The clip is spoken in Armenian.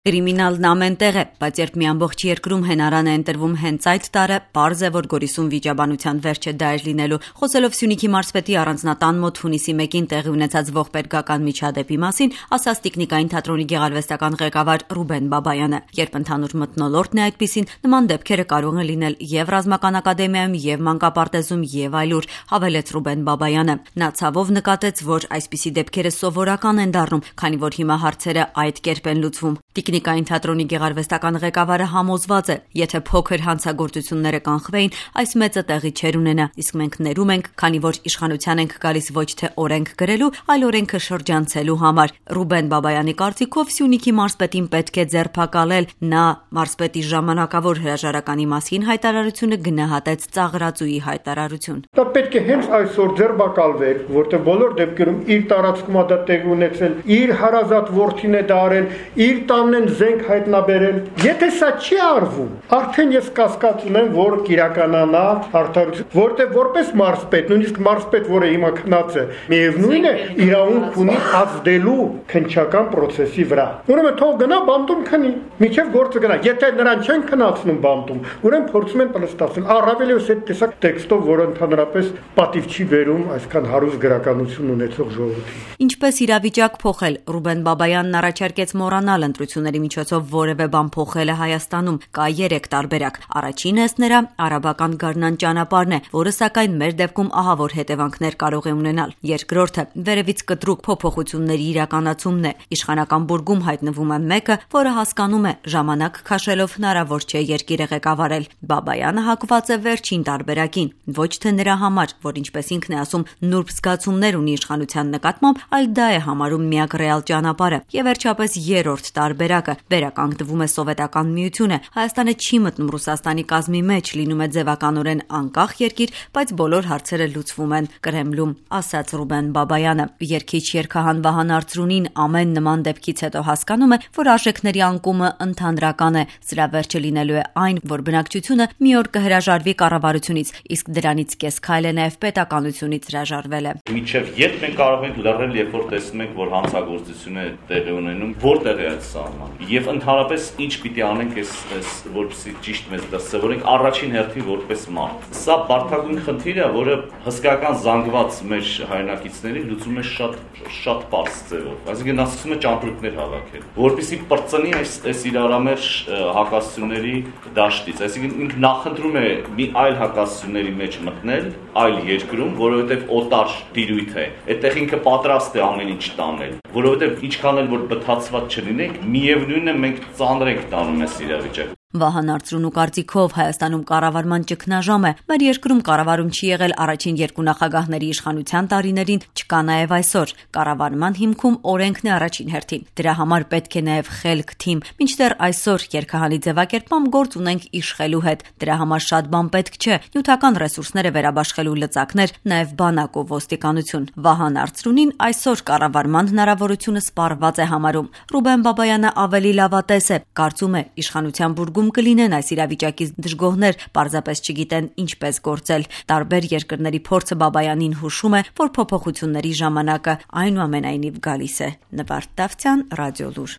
Կրիմինալն ամեն տեղ է, բայց երբ մի ամբողջ երկրում հենարան է ընտրվում հենց այդ տարը, պարզ է, որ Գորիսում վիճաբանության վերջը դա էր լինելու։ Խոսելով Սյունիքի մարզպետի առանձնատան մոտ հունիսի 1-ին տեղի ունեցած ողբերգական միջադեպի մասին, ասաց Տիկնիկային թատրոնի գեղարվեստական ղեկավար Ռուբեն Բաբայանը։ Երբ ընդհանուր մթնոլորտն է այդպիսին, նման դեպքերը կարող են լինել եւ ռազմական ակադեմիայում, եւ մանկապարտեզում, եւ այլուր, հավելեց Ռուբեն Բաբայանը։ Նա ցավով նկատեց, որ այսպիսի դեպքերը սովորական են դառնում, քանի որ հիմա հարցերը այդ կերպ են լուծվում։ Տիկնիկային թատրոնի գեղարվեստական ղեկավարը համոզված է, եթե փոքր հանցագործությունները կանխվեին, այս մեծը տեղի չէր ունենա, իսկ մենք ներում ենք, քանի որ իշխանության ենք գալիս ոչ թե օրենք գրելու, այլ օրենքը շրջանցելու համար։ Ռուբեն Բաբայանի կարծիքով Սյունիքի մարզպետին պետք է ձերբակալել։ Նա մարզպետի ժամանակավոր հրաժարականի մասին հայտարարությունը գնահատեց ծաղրածուի հայտարարություն։ Դա պետք է հենց այսօր ձերբակալվեր, որտեղ բոլոր դեպքերում իր տարածքում դա տեղի ունեցել, իր հարազատ որդին է դա արել, իր տանն զենք հայտնաբերել։ Եթե սա չի արվում, արդեն ես կասկած ունեմ, որ կիրականանա արդարություն, որտեղ որպես մարզպետ, նույնիսկ մարզպետ, որը հիմա քնած է, միևնույն է իրավունք ունի ազդելու քննչական process-ի վրա։ Ուրեմն թող գնա բանտում քնի, միջև գործը գնա։ Եթե նրան չեն քնացնում բանտում, ուրեմն փորձում են պլստացնել։ Առավել եւս այդ տեսակ տեքստով, որը ընդհանրապես պատիվ չի բերում այսքան հարուստ գրականություն ունեցող ժողովրդին։ Ինչպես իրավիճակ փոխել, Ռուբեն Բաբայանն առաջարկեց մոռանալ ընտրությունների միջոցով որևէ բան փոխելը Հայաստանում։ Կա 3 տարբերակ։ Առաջինը ըստ նրա արաբական գարնան ճանապարհն է, որը սակայն մեր դեպքում ահավոր հետևանքներ կարող է ունենալ։ Երկրորդը վերևից կտրուկ փոփոխությունների իրականացումն է։ Իշխանական բուրգում հայտնվում է մեկը, որը հասկանում է, ժամանակ քաշելով հնարավոր չէ երկիրը ղեկավարել։ Բաբայանը հակված է վերջին տարբերակին, ոչ թե նրա համար, որ ինչպես ինքն է ասում, նուրբ զգացումներ ունի իշխանության նկատմամբ, այլ դա է համարում միակ ռեալ ճանապարհը։ Եվ վերջապես երրորդ տարբերակը վերականգնվում է սովետական միությունը։ Հայաստանը չի մտնում Ռուսաստանի կազմի մեջ, լինում է ձևականորեն անկախ երկիր, բայց բոլոր հարցերը լուծվում են Կրեմլում, ասաց Ռուբեն Բաբայանը։ Երգիչ երգահան Վահան Արծրունին ամեն նման դեպքից հետո հասկանում է, որ արժեքների անկումը ընդհանրական է։ Սրա վերջը լինելու է այն, որ բնակչությունը մի օր կհրաժարվի կառավարությունից, իսկ դրանից կես քայլ է նաև պետականությունից հրաժարվելը։ Մինչև երբ մենք կարող ենք լռել, երբ որ տեսնում ենք, որ հանցագործություն է տեղի ունենում, որտեղ է այդ սահմանը։ Եվ ընդհանրապես ինչ պիտի անենք այս որպեսզի ճիշտ մեզ դասավորենք առաջին հերթին որպես մարդ։ Սա բարդագույն խնդիր է, որը հսկական զանգված մեր հայրենակիցներին լուծում է շատ պարզ ձևով։ Այսինքն ասում է ճամպրուկներ հավաքել, որպեսզի բրծնի այս իրարամերժ հակասությունների դաշտից։ Այսինքն ինքը նախընտրում է մի այլ հակասությունների մեջ մտնել այլ երկրում, որովհետև օտար տիրույթ է։ Այդտեղ ինքը պատրաստ է ամեն ինչ տանել, որովհետև ինչքան էլ որ բթացված չլինենք, միևնույնն է մենք ծանր ենք տանում այս իրավիճակը։ Վահան Արծրունու կարծիքով Հայաստանում կառավարման ճգնաժամ է։ Մեր երկրում կառավարում չի եղել առաջին երկու նախագահների իշխանության տարիներին, չկա նաև այսօր։ Կառավարման հիմքում օրենքն է առաջին հերթին։ Դրա համար պետք է նաև խելք թիմ։ Մինչդեռ այսօր երգահանի ձևակերպմամբ գործ ունենք իշխելու հետ։ Դրա համար շատ բան պետք չէ։ Նյութական ռեսուրսները վերաբաշխելու լծակներ, նաև բանակ ու ոստիկանություն։ Վահան Արծրունին այսօր կառավարման հնարավորությունը սպառված է համարում։ Ռուբեն Բաբայանը ավելի լավատես է։ Կարծում է իշխանության բուրգում կլինեն այս իրավիճակից դժգոհներ, պարզապես չգիտեն ինչպես գործել։ Տարբեր երկրների փորձը Բաբայանին հուշում է, որ փոփոխությունների ժամանակը այնուամենայնիվ գալիս է։ Նվարդ Դավթյան, Ռադիոլուր։